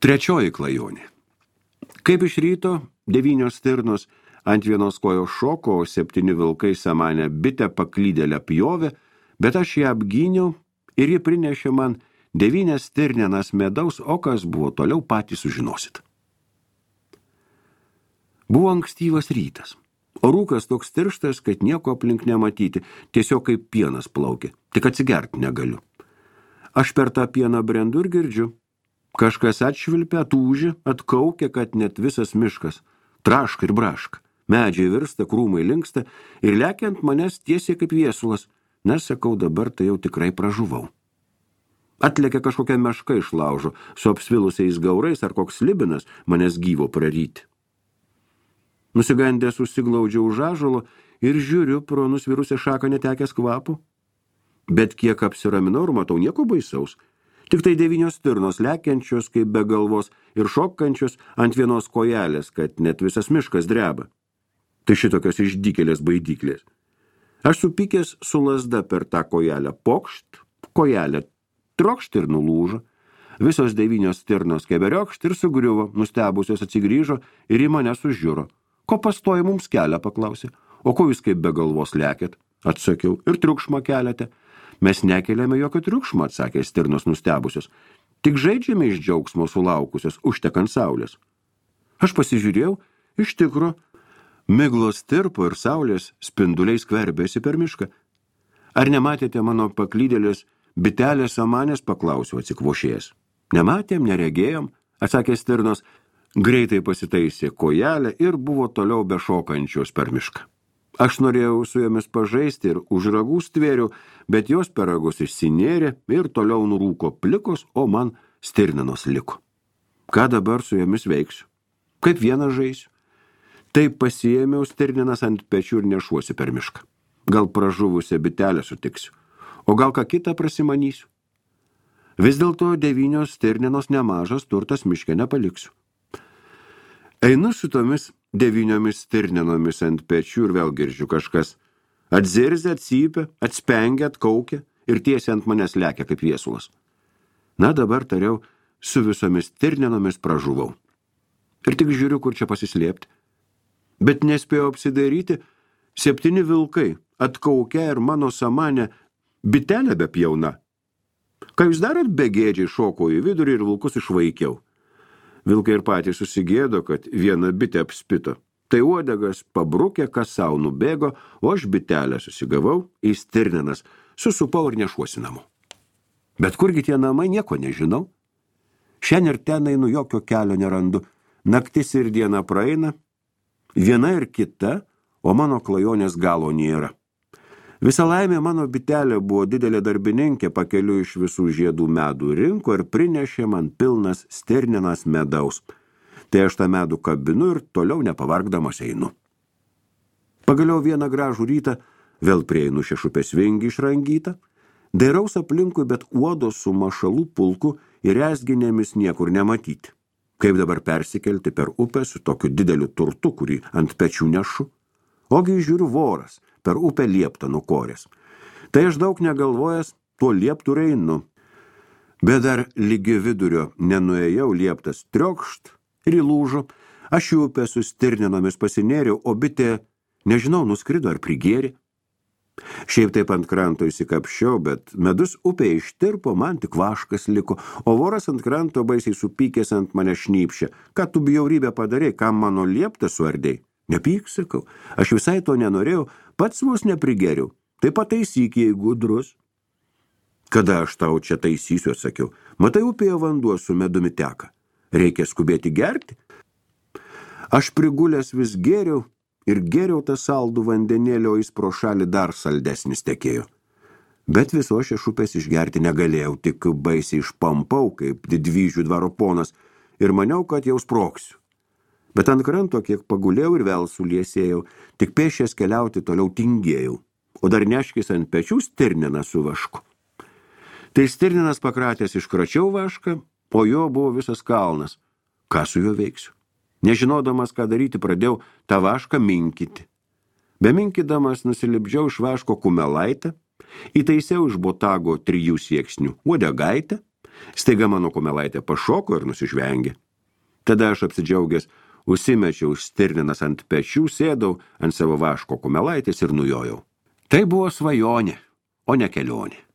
Trečioji klajonė. Kaip iš ryto 9 stirnos ant vienos kojos šoko, o 7 vilkai samanę bitę paklydėlę pjovė, bet aš ją apgyniau ir ji prinešė man 9 stirnenas medaus, o kas buvo toliau patys sužinosit. Buvo ankstyvas rytas, o rūkas toks tirštas, kad nieko aplink nematyti, tiesiog kaip pienas plaukė, tik atsigerti negaliu. Aš per tą pieną brendu ir girdžiu. Kažkas atšvilpia, tūži, atkaukia, kad net visas miškas. Traška ir braška. Medžiai virsta, krūmai linksta ir lekiant manęs tiesiai kaip viesulas. Nesakau, dabar tai jau tikrai pražuvau. Atlėkia kažkokia meška iš laužo, su apsvilusiais gaurais ar koks slibinas manęs gyvo praryti. Nusigandęs užsiglaudžiau už ąžuolo ir žiūriu pro nusvirusią šaką netekęs kvapo. Bet kiek apsiraminau ir matau nieko baisaus. Tik tai 9 stirnos lekiančios kaip be galvos ir šokančios ant vienos kojelės, kad net visas miškas dreba. Tai šitokios išdykėlės baidyklės. Aš supykęs su lazda per tą kojelę pokšt, kojelė trokšt ir nulūžo. Visos 9 stirnos keberiokšt ir sugriuvo, nustebusios atsigrįžo ir į mane sužiūro. Ko pastoji mums kelią, paklausė. O ko jūs kaip be galvos lekėt? Atsakiau, ir triukšmą keliate. Mes nekeliame jokio triukšmo, atsakė stirnos nustebusios. Tik žaidžiame iš džiaugsmo sulaukusios, užtekant saulės. Aš pasižiūrėjau, iš tikro, miglos tirpo ir saulės spinduliai skverbėsi per mišką. Ar nematėte mano paklydėlės bitelės samanės, paklausiau atsikvošėjęs. Nematėm, neregėjom, atsakė stirnos, greitai pasitaisė kojelę ir buvo toliau bešokančios per mišką. Aš norėjau su jomis pažaisti ir už ragų stvėriau, bet jos per ragus išsinėrė ir toliau nurūko plikos, o man stirninos liko. Ką dabar su jomis veiksiu? Kaip vieną žaisiu? Taip pasiėmiau stirninas ant pečių ir nešuosi per mišką. Gal pražuvusią bitelę sutiksiu, o gal ką kitą prasimanysiu. Vis dėlto 9 stirninos nemažas turtas miške nepaliksiu. Einu su tomis 9 stirninomis ant pečių ir vėl girdžiu kažkas. Atzirzia, atsypia, atspengia, atkaukia ir tiesiai ant manęs lekia kaip viesulas. Na dabar tariau, su visomis stirninomis pražuvau. Ir tik žiūriu, kur čia pasislėpti. Bet nespėjau apsidairyti, 7 vilkai atkaukia ir mano samanė bitelė bepjauna. Ką jūs darot, begėdžiai šokau į vidurį ir vilkus išvaikiau. Vilkai ir patys susigėdo, kad viena bitė apspito. Tai uodegas pabrukė, kas sau nubėgo, o aš bitelę susigavau į stirninas, susupau ir nešuosi namo. Bet kurgi tie namai, nieko nežinau. Šiandien ir ten einu, jokio kelio nerandu. Naktis ir diena praeina, viena ir kita, o mano klajonės galo nėra. Visa laimė mano bitelė buvo didelė darbininkė, pakeliu iš visų žiedų medų rinko ir prinešė man pilnas stirninas medaus. Tai aš tą medų kabinu ir toliau nepavargdamas einu. Pagaliau vieną gražų rytą vėl prieinu šešupės vingį išrangytą, dairaus aplinkui, bet uodos su mašalų pulku ir rezginėmis niekur nematyti. Kaip dabar persikelti per upę su tokiu dideliu turtu, kurį ant pečių nešu? Ogi žiūriu voras, per upę lieptą nukorės. Tai aš daug negalvojęs, tuo lieptų einu. Bet dar lygi vidurio nenuėjau, lieptas triokšt ir įlūžo. Aš į upę su stirninomis pasinėriau, o bitė, nežinau, nuskrido ar prigėrė. Šiaip taip ant kranto įsikapščiau, bet medus upė ištirpo, man tik vaškas liko, o voras ant kranto baisiai supykęs ant mane šnypšė. Ką tu bjaurybę padarei, kam mano lieptą suardei? Nepyk, sakau, aš visai to nenorėjau, pats vos neprigeriau. Tai pataisyk, jei gudrus. Kada aš tau čia taisysiu, atsakiau. Matai, upėje vanduo su medumi teka. Reikia skubėti gerti. Aš prigulęs vis gėriau ir gėriau tą saldų vandenėlio, jis pro šalį dar saldesnis tekėjo. Bet viso šešupės išgerti negalėjau, tik baisiai išpampau, kaip didvyžių dvaro ponas, ir maniau, kad jau sproksiu. Bet ant kranto kiek pagulėjau ir vėl suliesėjau, tik pėšęs keliauti toliau tingėjau, o dar neškis ant pečių stirniną su vašku. Tai stirninas pakratęs iškračiau vašką, po jo buvo visas kalnas. Ką su juo veiksiu? Nežinodamas, ką daryti, pradėjau tą vašką minkyti. Beminkydamas nusilipdžiau iš vaško kumelaitę, įtaisiau iš botago 3 sieksnių uodegaitę, Staiga mano kumelaitė pašoko ir nusižvengė. Tada aš apsidžiaugęs, užsimečiau stirninas ant pečių, sėdau ant savo vaško kumelaitės ir nujojau. Tai buvo svajonė, o ne kelionė.